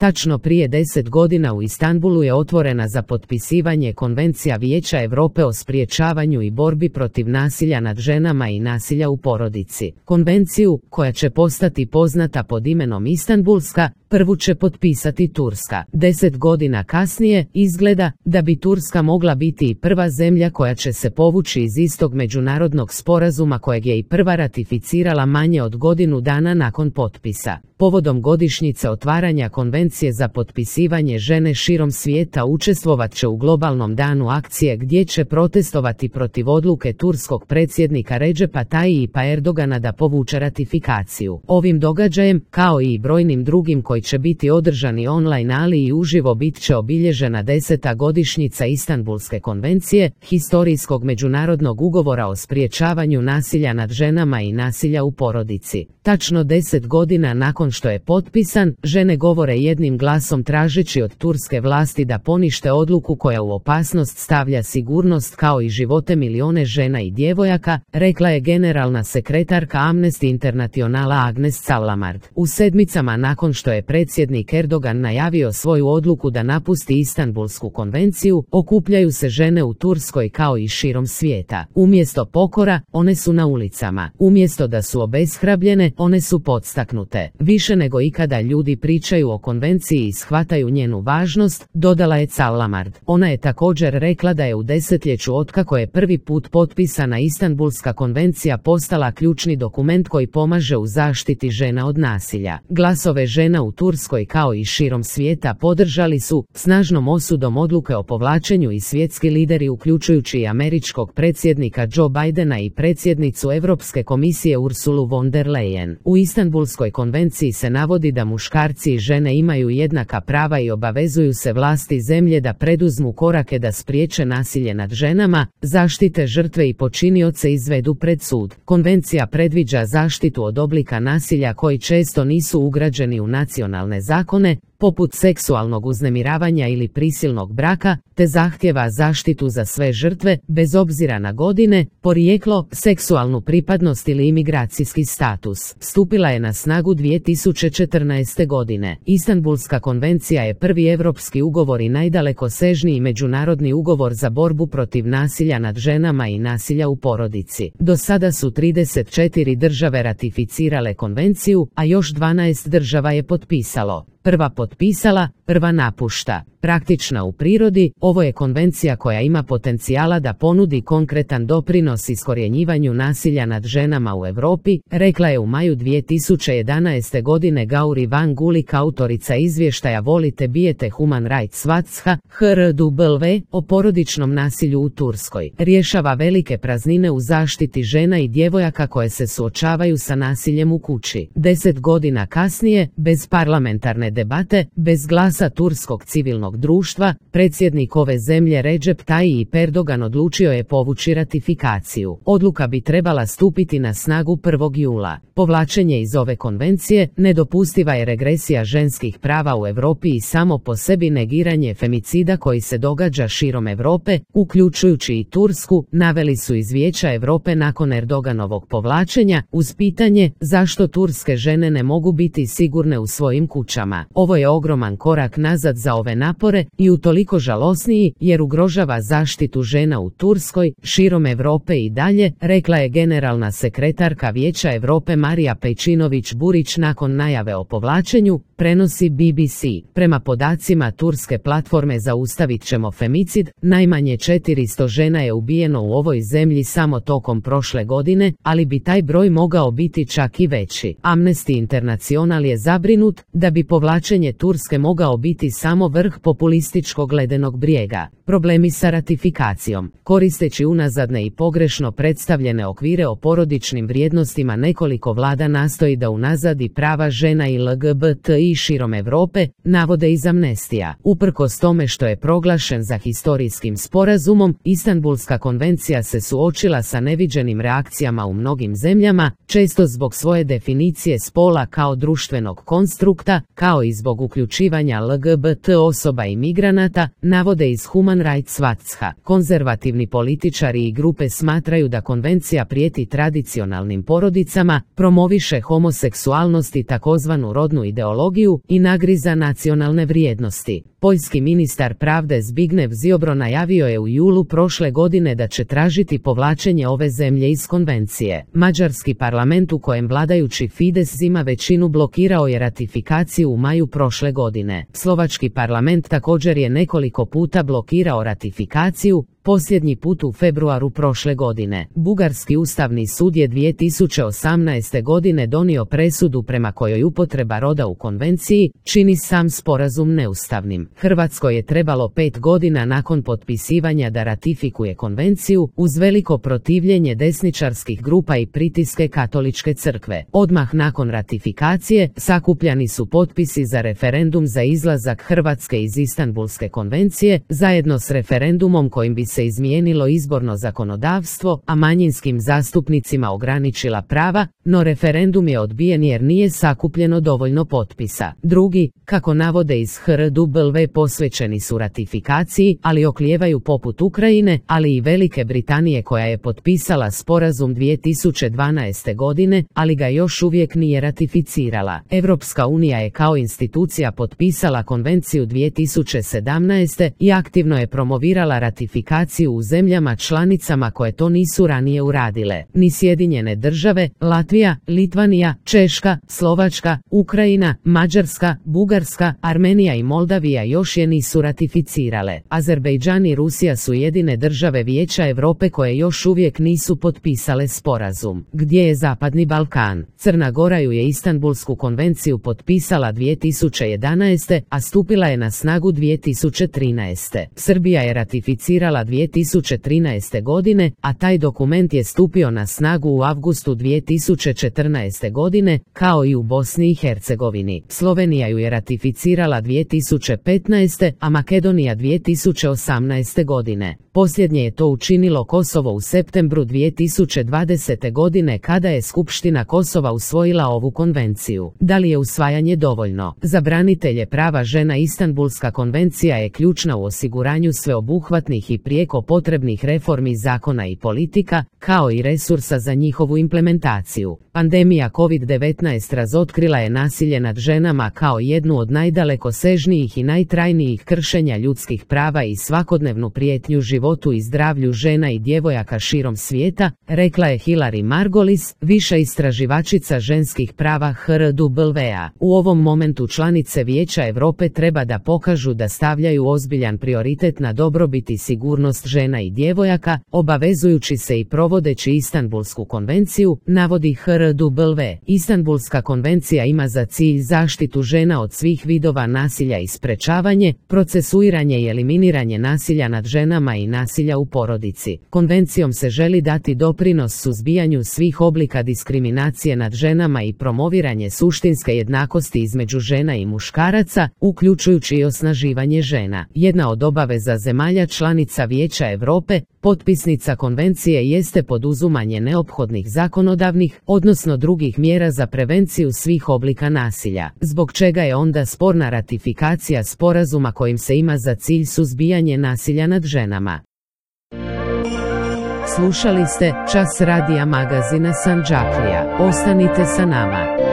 Tačno prije 10 godina u Istanbulu je otvorena za potpisivanje Konvencija Vijeća Europe o sprječavanju i borbi protiv nasilja nad ženama i nasilja u porodici. Konvenciju, koja će postati poznata pod imenom Istanbulska, prvu će potpisati Turska. 10 godina kasnije, izgleda da bi Turska mogla biti i prva zemlja koja će se povući iz istog međunarodnog sporazuma kojeg je i prva ratificirala manje od godinu dana nakon potpisa. Povodom godišnjice otvaranja konvencije za potpisivanje žene širom svijeta učestvovat će u globalnom danu akcije gdje će protestovati protiv odluke turskog predsjednika Recepa Tayyipa Erdogana da povuče ratifikaciju. Ovim događajem, kao i brojnim drugim koji će biti održani online ali i uživo, bit će obilježena 10. godišnjica Istanbulske konvencije, historijskog međunarodnog ugovora o sprječavanju nasilja nad ženama i nasilja u porodici. Tačno 10 godina nakon što je potpisan, žene govore jednim glasom tražeći od turske vlasti da ponište odluku koja u opasnost stavlja sigurnost kao i živote milione žena i djevojaka, rekla je generalna sekretarka Amnesty Internationala Agnes Salamard. U sedmicama nakon što je predsjednik Erdogan najavio svoju odluku da napusti Istanbulsku konvenciju, okupljaju se žene u Turskoj kao i širom svijeta. Umjesto pokora, one su na ulicama. Umjesto da su obeshrabljene, one su podstaknute. Više nego ikada ljudi pričaju o konvenciji i shvataju njenu važnost, dodala je Salamard. Ona je također rekla da je u desetljeću otkako je prvi put potpisana Istanbulska konvencija postala ključni dokument koji pomaže u zaštiti žena od nasilja. Glasove žena u Turskoj kao i širom svijeta podržali su snažnom osudom odluke o povlačenju i svjetski lideri uključujući i američkog predsjednika Joe Bidena i predsjednicu Europske komisije Ursulu von der Leyen. U Istanbulskoj konvenciji se navodi da muškarci i žene imaju jednaka prava i obavezuju se vlasti zemlje da preduzmu korake da spriječe nasilje nad ženama, zaštite žrtve i počinioce izvedu pred sud. Konvencija predviđa zaštitu od oblika nasilja koji često nisu ugrađeni u nacionalne zakone, poput seksualnog uznemiravanja ili prisilnog braka, te zahtjeva zaštitu za sve žrtve, bez obzira na godine, porijeklo, seksualnu pripadnost ili imigracijski status. Stupila je na snagu 2014. godine. Istanbulska konvencija je prvi europski ugovor i najdalekosežniji međunarodni ugovor za borbu protiv nasilja nad ženama i nasilja u porodici. Do sada su 34 države ratificirale konvenciju, a još 12 država je potpisalo. Prva potpisala, prva napušta. Praktična u prirodi, ovo je konvencija koja ima potencijala da ponudi konkretan doprinos iskorjenjivanju nasilja nad ženama u Europi, rekla je u maju 2011. godine Gauri Van Gulik, autorica izvještaja Volite bijete Human Rights Watcha, HRW, o porodičnom nasilju u Turskoj. Rješava velike praznine u zaštiti žena i djevojaka koje se suočavaju sa nasiljem u kući. 10 godina kasnije, bez parlamentarne debate, bez glasa turskog civilnog društva, predsjednik ove zemlje Recep Tayyip Erdogan odlučio je povući ratifikaciju. Odluka bi trebala stupiti na snagu 1. jula. Povlačenje iz ove konvencije nedopustiva je regresija ženskih prava u Europi i samo po sebi negiranje femicida koji se događa širom Europe, uključujući i Tursku, naveli su iz Vijeća Europe nakon Erdoganovog povlačenja, uz pitanje zašto turske žene ne mogu biti sigurne u svojim kućama. Ovo je ogroman korak nazad za ove napore i utoliko žalosniji jer ugrožava zaštitu žena u Turskoj, širom Europe i dalje, rekla je generalna sekretarka Vijeća Europe Marija Pejčinović-Burić nakon najave o povlačenju, prenosi BBC. Prema podacima turske platforme Zaustavit ćemo femicid, najmanje 400 žena je ubijeno u ovoj zemlji samo tokom prošle godine, ali bi taj broj mogao biti čak i veći. Amnesty International je zabrinut da bi povlačenje Turske mogao biti samo vrh populističkog ledenog brijega. Problemi sa ratifikacijom. Koristeći unazadne i pogrešno predstavljene okvire o porodičnim vrijednostima, nekoliko vlada nastoji da unazadi prava žena i LGBTI širom Europe, navode iz Amnestija. Uprkos tome što je proglašen za historijskim sporazumom, Istanbulska konvencija se suočila sa neviđenim reakcijama u mnogim zemljama, često zbog svoje definicije spola kao društvenog konstrukta, kao i zbog uključivanja LGBT osoba i migranata, navode iz Human Rights Watcha. Konzervativni političari i grupe smatraju da konvencija prijeti tradicionalnim porodicama, promoviše homoseksualnost i takozvanu rodnu ideologiju, ideologiju i nagriza nacionalne vrijednosti. Poljski ministar pravde Zbigniew Ziobro najavio je u julu prošle godine da će tražiti povlačenje ove zemlje iz konvencije. Mađarski parlament u kojem vladajući Fides ima većinu blokirao je ratifikaciju u maju prošle godine. Slovački parlament također je nekoliko puta blokirao ratifikaciju, posljednji put u februaru prošle godine. Bugarski ustavni sud je 2018. godine donio presudu prema kojoj upotreba roda u konvenciji čini sam sporazum neustavnim. Hrvatskoj je trebalo 5 godina nakon potpisivanja da ratifikuje konvenciju, uz veliko protivljenje desničarskih grupa i pritiske Katoličke crkve. Odmah nakon ratifikacije sakupljani su potpisi za referendum za izlazak Hrvatske iz Istanbulske konvencije, zajedno s referendumom kojim bi se izmijenilo izborno zakonodavstvo, a manjinskim zastupnicima ograničila prava, no referendum je odbijen jer nije sakupljeno dovoljno potpisa. Drugi, kako navode iz HRW, posvećeni su ratifikaciji, ali oklijevaju poput Ukrajine, ali i Velike Britanije koja je potpisala sporazum 2012. godine, ali ga još uvijek nije ratificirala. Europska unija je kao institucija potpisala konvenciju 2017. i aktivno je promovirala ratifikaciju u zemljama članicama koje to nisu ranije uradile. Ni Sjedinjene države, Latvija, Litvanija, Češka, Slovačka, Ukrajina, Mađarska, Bugarska, Armenija i Moldavija još je nisu ratificirale. Azerbejdžan i Rusija su jedine države Vijeća Europe koje još uvijek nisu potpisale sporazum. Gdje je Zapadni Balkan? Crna Gora ju je Istanbulsku konvenciju potpisala 2011. a stupila je na snagu 2013. Srbija je ratificirala 2013. godine, a taj dokument je stupio na snagu u avgustu 2014. godine, kao i u Bosni i Hercegovini. Slovenija ju je ratificirala 2015. a Makedonija 2018. godine. Posljednje je to učinilo Kosovo u septembru 2020. godine kada je Skupština Kosova usvojila ovu konvenciju. Da li je usvajanje dovoljno? Za branitelje prava žena Istanbulska konvencija je ključna u osiguranju sveobuhvatnih i prijeko potrebnih reformi zakona i politika, kao i resursa za njihovu implementaciju. Pandemija COVID-19 razotkrila je nasilje nad ženama kao jednu od najdalekosežnijih i najtrajnijih kršenja ljudskih prava i svakodnevnu prijetnju životu i zdravlju žena i djevojaka širom svijeta, rekla je Hilary Margolis, viša istraživačica ženskih prava HRW-a. U ovom momentu članice Vijeća Europe treba da pokažu da stavljaju ozbiljan prioritet na dobrobit i sigurnost žena i djevojaka, obavezujući se i provodeći Istanbulsku konvenciju, navodi HRW. Istanbulska konvencija ima za cilj zaštitu žena od svih vidova nasilja i sprečavanje, procesuiranje i eliminiranje nasilja nad ženama i nasilja u porodici. Konvencijom se želi dati doprinos suzbijanju svih oblika diskriminacije nad ženama i promoviranje suštinske jednakosti između žena i muškaraca, uključujući i osnaživanje žena. Jedna od obaveza zemalja članica Vijeća Europe, potpisnica konvencije, jeste poduzimanje neophodnih zakonodavnih, odnosno drugih mjera za prevenciju svih oblika nasilja, zbog čega je onda sporna ratifikacija sporazuma kojim se ima za cilj suzbijanje nasilja nad ženama. Slušali ste Čas radija magazina Sandžaklija. Ostanite sa nama.